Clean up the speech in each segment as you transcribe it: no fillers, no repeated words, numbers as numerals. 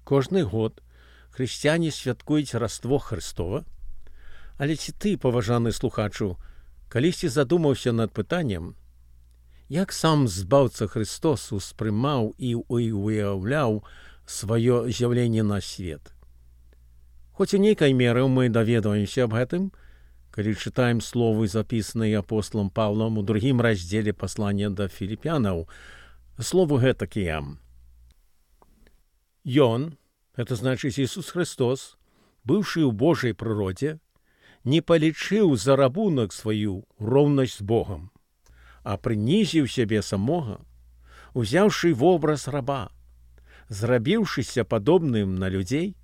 Кожны год хрысціяне святкуюць Раство Хрыстова. Але ці ты, паважаны слухачу, калісьці задумаўся над пытаннем, як сам збаўца Христос успрымаў і уяўляў сваё з'яўленне на свет? Хоць у нейкай меры мы даведваемся аб гэтым, калі чытаем словы, запісаныя апосталам Паўлам у 2 раздзеле паслання да філіпянаў. Словы гэтакія. Ён, гэта значыць Ісус Христос, быўшы ў Божай прыродзе, не палічыў за рабунак сваю роўнасць з Богам, а прынізіў сябе самога, узяўшы вобраз раба, зрабіўшыся падобным на людзей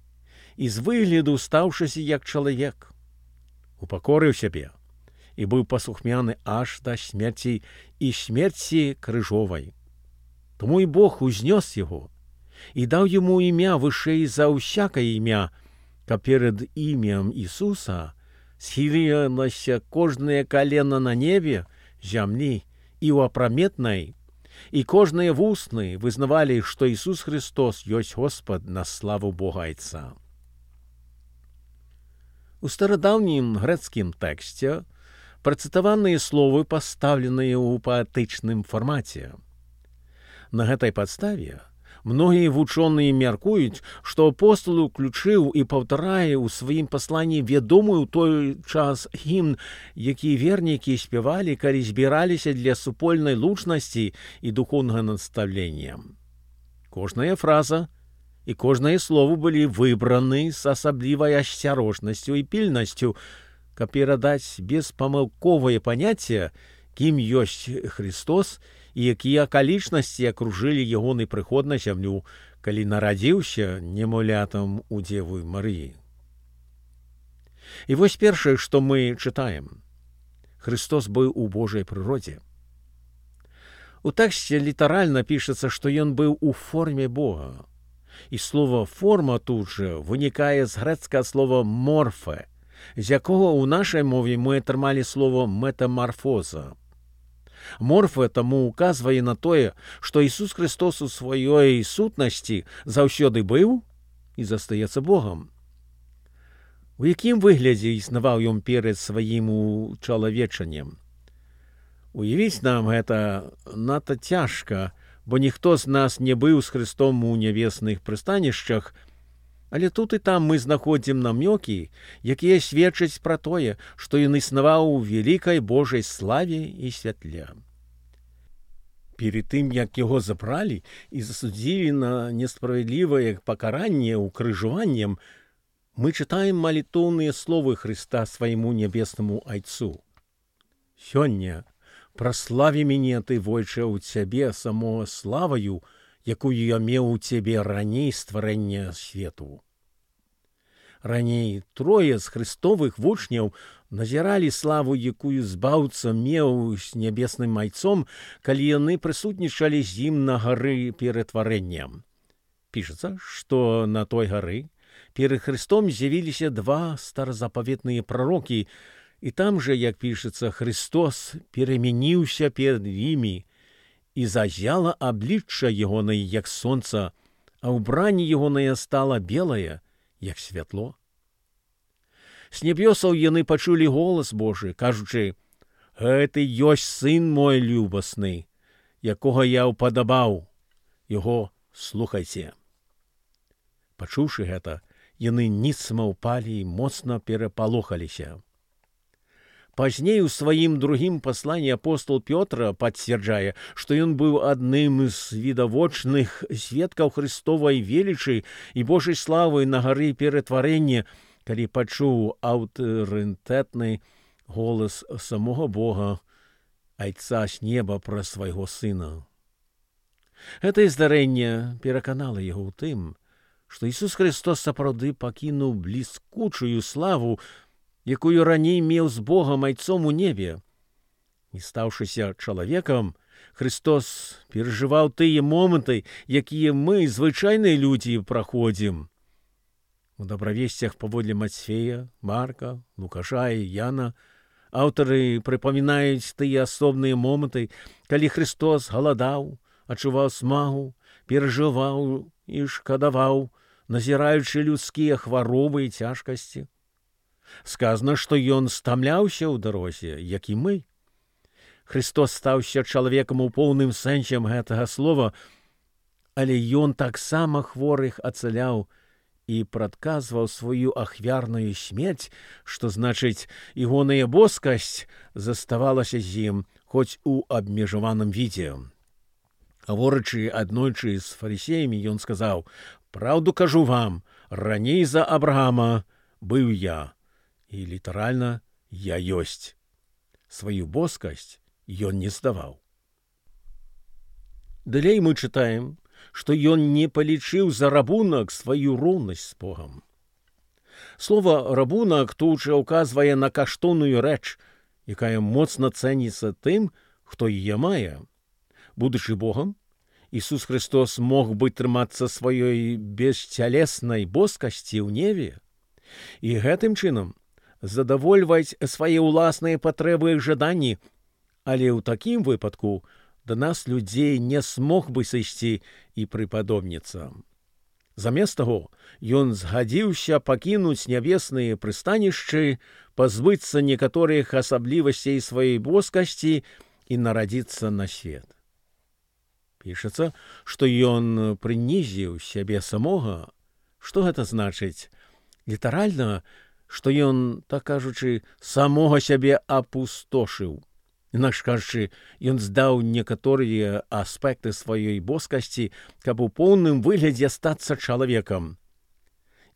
і з выгляду стаўшыся як чалавек, упакорыў сябе і быў паслухмяны аж да смерці і смерці крыжовай. Тому і Бог узнёс яго і даў яму імя вышэй за ўсякае імя, каб перад імем Ісуса схілілася кожнае калена на небе, зямлі і ў апраметнай, і кожныя вусны вызнавалі, што Ісус Христос ёсць Господ на славу Бога Айца. У старадаўнім грэцкім тэксце працытаваныя словы пастаўленыя ў паэтычным фармаце. На гэтай падставе многія вучоныя мяркуюць, што апостал уключыў і паўтарае ў сваім пасланні вядомы ў той час гімн, які вернікі спявалі, калі збіраліся для супольнай лучнасці і духоўнага настаўлення. Кожная фраза і кожнае слово былі выбраны з асаблівай асцярожнасцю і пільнасцю, каб перадаць беспамылковае паняцце, кім ёсць Христос і якія акалічнасці акружылі ягоны прыход на зямлю, калі нарадзіўся немаўлятам у Дзевы Марыі. І вось першае, што мы чытаем. Христос быў у Божай прыродзе. У тэксце літаральна пішацца, што ён быў у форме Бога. І слова «форма» тут жа вынікае з грэцкага слова «морфе», з якога ў нашай мове мы атрымалі слово «метамарфоза». Морфе таму указвае на тое, што Ісус Христос у сваёй сутнасці заўсёды быў і застаецца Богам. У якім выглядзе існаваў ён перад сваім учалавечаннем? Уявіць нам гэта надта цяжка, бо ніхто з нас не быў з Христом у нябесных прыстанішчах, але тут і там мы знаходзім намёкі, якія сведчаць пра тое, што ён існаваў у вялікай Божай славе і святле. Перед тым, як яго забралі і засудзілі на несправядлівае пакаранне укрыжаваннем, мы чытаем малітоўныя словы Хрыста свайму нябеснаму Айцу. «Сёння праславі мяне ты, войча, у цябе самого славаю, якую я меў у цябе раней стварэння свету». Раней трое з хрыстовых вучняў назіралі славу, якую збаўца меў з нябесным Айцом, калі яны прысутнічалі з ім на гары ператварэння. Пішацца, што на той гары перад Христом з'явіліся 2 старазапаветныя прарокі, і там жа, як пішацца, Христос перамяніўся перад імі, і зазяла аблічча ягонае, як сонца, а ўбранне ягонае стала белае, як святло. З нябёсаў яны пачулі голас Божы, кажучы: «Гэты ёсць сын мой любасны, якога я ўпадабаў, яго слухайце». Пачуўшы гэта, яны ніцма ўпалі і моцна перапалохаліся. Пазней у сваім другім пасланні апостол Пётр пацвярджае, што ён быў адным з відавочных сведкаў Христовай велічы і Божай славы на гары ператварэння, калі пачуў аўтарытэтны голас самога Бога, Айца з неба пра свайго сына. Гэтае здарэнне пераканала яго ў тым, што Ісус Христос сапраўды пакінуў бліскучую славу, якую раней меў з Богам Айцом у небе. І стаўшыся чалавекам, Христос перажываў тыя моманты, якія мы, звычайныя людзі, праходзім. У дабравесцях паводле Мацфея, Марка, Лукаша і Яна аўтары прыпамінаюць тыя асобныя моманты, калі Христос галадаў, адчуваў смагу, перажываў і шкадаваў, назіраючы людскія хваробы і цяжкасці. Сказано, што ён стамляўся ў дарозе, як і мы. Христос стаўся чалавекам у поўным сэнсе гэтага слова, але ён таксама хворых ацаляў і прадказваў сваю ахвярную смерць, што значыць, ягоная боскасць заставалася з ім, хоць у абмежаваным відзе. Гаворачы аднойчы з фарысеямі, ён сказаў: «Праўду кажу вам, раней за Абрахама быў я». І літаральна «я ёсць». Сваю боскасць ён не здаваў. Далей мы чытаем, што ён не палічыў за рабунак сваю роўнасць з Богам. Слова «рабунак» тут жа ўказвае на каштоўную рэч, якая моцна цэніцца тым, хто яе мае. Будучы Богам, Ісус Христос мог бы трымацца сваёй бесцялеснай боскасці ў небе і гэтым чынам задавольваць свае ўласныя патрэбы і жаданні, але ў такім выпадку да нас людзей не смог бы сысці і прыпадобніцца. Замест таго, ён згадзіўся пакінуць нябесныя прыстанішчы, пазбыцца некаторых асаблівасцей сваёй боскасці і нарадзіцца на свет. Пішацца, што ён прынізіў сябе самога. Што гэта значыць? Літаральна, што ён, так кажучы, самога сябе апустошыў. Інакш кажучы, ён здаў некаторыя аспекты сваёй боскасці, каб у поўным выглядзе стацца чалавекам.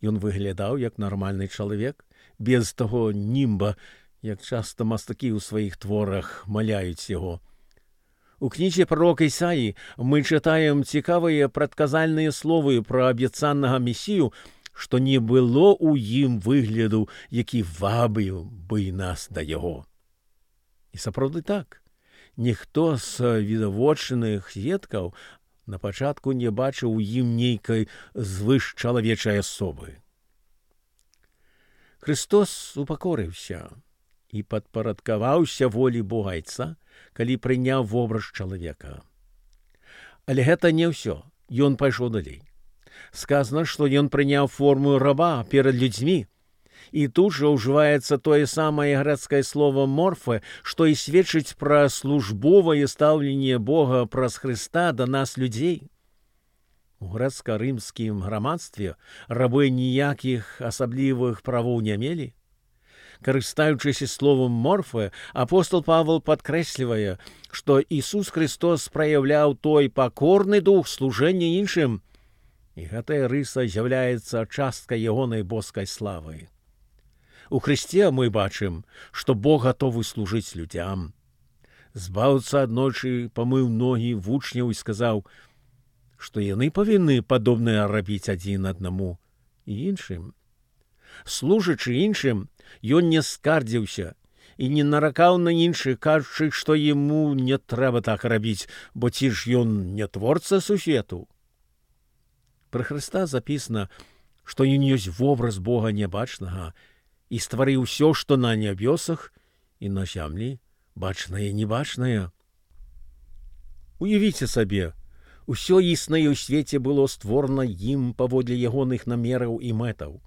Ён выглядаў як нармальны чалавек, без таго німба, як часта мастакі ў сваіх творах маляюць яго. У кнізе прарока Ісаі мы чытаем цікавыя прадказальныя словы пра абяцанага Месію, што не было ў ім выгляду, які вабіў бы нас да яго. І сапраўды так. Ніхто з відавочных сведкаў на пачатку не бачыў у ім нейкай звышчалавечай асобы. Христос упакорыўся і падпарадкаваўся волі Бога Айца, калі прыняў вобраз чалавека. Але гэта не ўсё. Ён пайшоў далей. Сказано, што ён прыняў форму раба перад людзьмі. І тут жа ўжываецца тое самае грэцкае слово «морфе», што і сведчыць пра службовае стаўленне Бога праз Хрыста да нас людзей. У грэцка-рымскім грамадстве рабы ніякіх асаблівых правоў не мелі. Карыстаючыся словам «морфе», апостол Павел падкрэслівае, што Ісус Христос праяўляў той пакорны дух служэння іншым, і гэтая рыса з'яўляецца часткай ягонай боскай славы. У Христе мы бачым, што Бог гатовы служыць людзям. Збаўца аднойчы памыў ногі вучняў і сказаў, што яны павінны падобнае рабіць адзін аднаму і іншым. Служачы іншым, ён не скардзіўся і не наракаў на іншых, кажучы, што яму не трэба так рабіць, бо ці ж ён не творца сусвету. Пра Хрыста запісана, што ён ёсць вобраз Бога нябачнага і стварыў усё, што на нябёсах і на зямлі, бачнае і небачнае. Уявіце сабе, усё існае ў свеце было створана ім паводле ягоных намераў і мэтаў.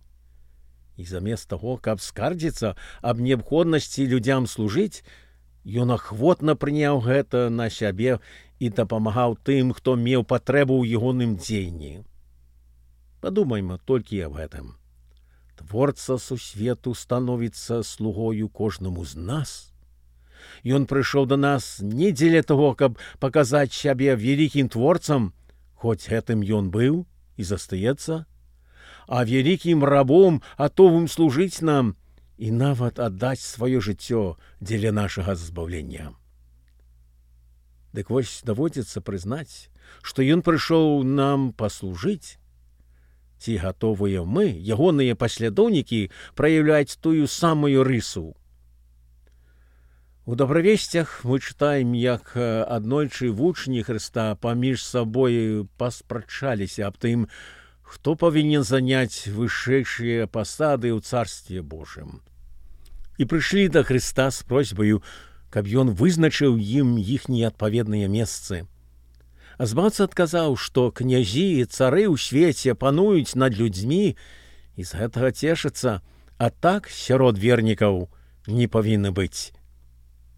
І замест таго, каб скардзіцца аб неабходнасці людзям служыць, ён ахвотна прыняў гэта на сябе і дапамагаў тым, хто меў патрэбу ў ягоным дзеянні. Падумайма толькі аб гэтым. Творца сусвету становіцца слугою кожнаму з нас. Ён прыйшоў да нас не дзеля таго, каб паказаць сябе вялікім творцам, хоць гэтым ён быў і застаецца, а вялікім рабом, гатовым служыць нам і нават аддаць сваё жыццё дзеля нашага збаўлення. Дык вось даводзіцца прызнаць, што ён прыйшоў нам паслужыць. Ці гатовыя мы, ягоныя паслядоўнікі, праяўляць тую самую рысу? У добравесцях мы чытаем, як аднойчы вучні Хрыста паміж сабой паспрачаліся аб тым, хто павінен заняць вышэйшыя пасады ў Царстве Божым. І прыйшлі да Хрыста з просьбаю, каб ён вызначыў ім іхнія адпаведныя месцы. А збаўца адказаў, што князі і цары ў свеце пануюць над людзьмі і з гэтага цешацца, а так сярод вернікаў не павінны быць.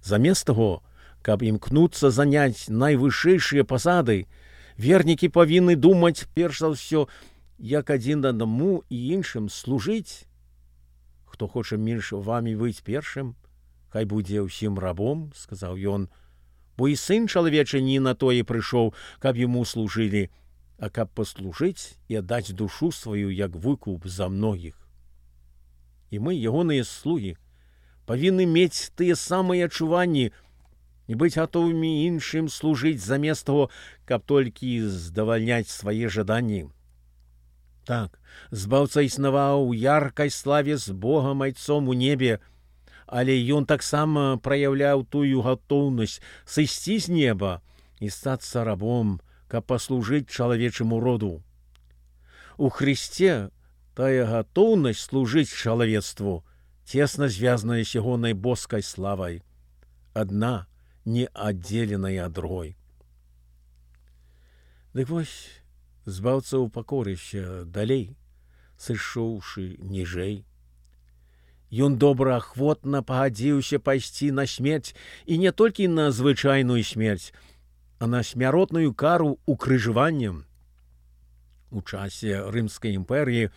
Замест таго, каб імкнуцца заняць найвышэйшыя пасады, вернікі павінны думаць перш за ўсё, як адзін аднаму і іншым служыць. Хто хоча між вамі быць першым, хай будзе ўсім рабом, сказаў ён, бо і сын чалавечы не на тое прыйшоў, каб яму служылі, а каб паслужыць і аддаць душу сваю як выкуп за многіх. І мы, ягоныя слугі, павінны мець тыя самыя адчуванні і быць гатовымі іншым служыць замест таго, каб толькі здавальняць свае жаданні. Так, збаўца існаваў у яркай славе з Богам Айцом у небе, але ён таксама праяўляў тую гатоўнасць сысці з неба і стацца рабом, каб паслужыць чалавечаму роду. У Хрысце тая гатоўнасць служыць чалавецтву цесна звязаная з ягонай боскай славай, адна не аддзеленая ад другой. Дык вось, збаўца упакорыўся далей, сышоўшы ніжэй. Ён добраахвотна пагадзіўся пайсці на смерць, і не толькі на звычайную смерць, а на смяротную кару укрыжаваннем. У часе Рымскай імперыі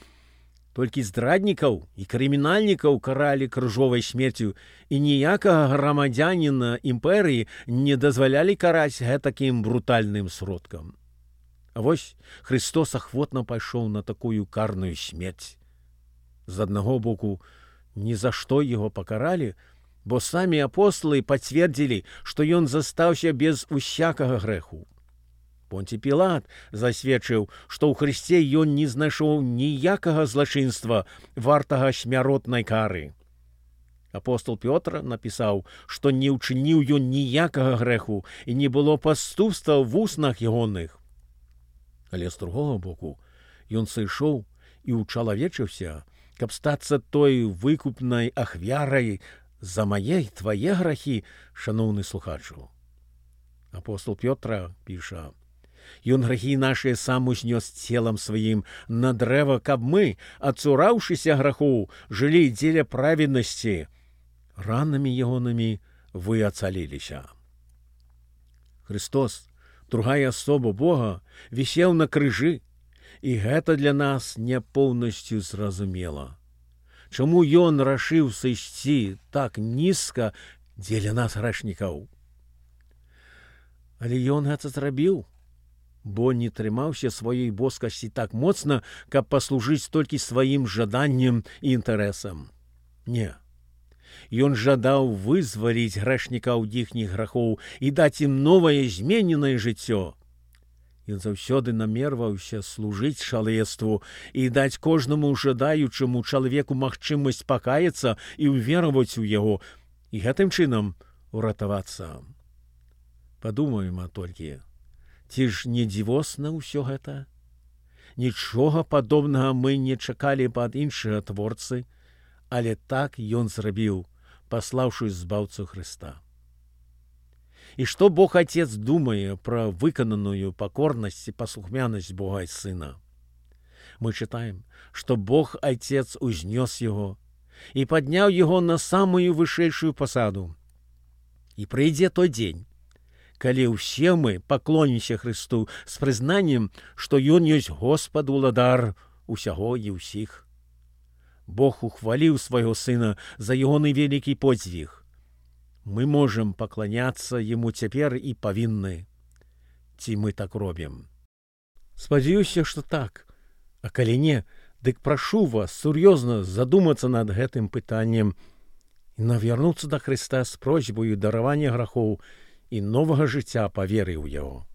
толькі здраднікаў і крымінальнікаў каралі крыжовай смерцю, і ніякага грамадзяніна імперыі не дазвалялі караць гэтакім брутальным сродкам. А вось Христос ахвотна пайшоў на такую карную смерць. З аднаго боку, ні за што яго пакаралі, бо самі апосталы пацвердзілі, што ён застаўся без усякага грэху. Понцій Пілат засведчыў, што ў Хрысце ён не знайшоў ніякага злачынства, вартага смяротнай кары. Апостол Пётр напісаў, што не ўчыніў ён ніякага грэху і не было паступства ў вуснах ягоных. Але з другога боку, ён сышоў і ўчалавечыўся, каб стацца той выкупнай ахвярай за мае і твае грахі, шаноўны слухачу. Апостол Пётра піша: «Ён грахі нашыя сам узнёс целам сваім на дрэва, каб мы, адцураўшыся грахоў, жылі дзеля праведнасці. Ранамі ягонымі вы ацаліліся». Христос, другая асоба Бога, вісеў на крыжы, і гэта для нас не поўнасцю зразумела. Чаму ён рашыў сысці так нізка дзеля нас грэшнікаў? Але ён гэта зрабіў, бо не трымаўся сваёй боскасці так моцна, каб паслужыць толькі сваім жаданням і інтарэсам. Не. Ён жадаў вызваліць грэшнікаў ад іхніх грахоў і даць ім новае змененае жыццё. Ён заўсёды намерваўся служыць чалавецтву і даць кожнаму жадаючаму чалавеку магчымасць пакаяцца і ўвераваць у яго, і гэтым чынам уратавацца. Падумаем толькі, ці ж не дзівосна ўсё гэта? Нічога падобнага мы не чакалі ад іншага творцы, але так ён зрабіў, паслаўшы збаўцу Хрыста. І што Бог Отец думае пра выкананую пакорнасць і паслухмянасць Бога і Сына? Мы чытаем, што Бог Отец узнёс яго і падняў яго на самую вышэйшую пасаду. І прыйдзе той дзень, калі ўсе мы паклонімся Хрысту з прызнаннем, што Ён ёсць Господ уладар усяго і ўсіх. Бог ухваліў свайго Сына за ягоны вялікі подзвіг. Мы можам пакланяцца Яму цяпер і павінны. Ці мы так робім? Спадзяюся, што так. А калі не, дык прашу вас сур'ёзна задумацца над гэтым пытаннем і навярнуцца да Хрыста з просьбаю даравання грахоў і новага жыцця па веры ў Яго.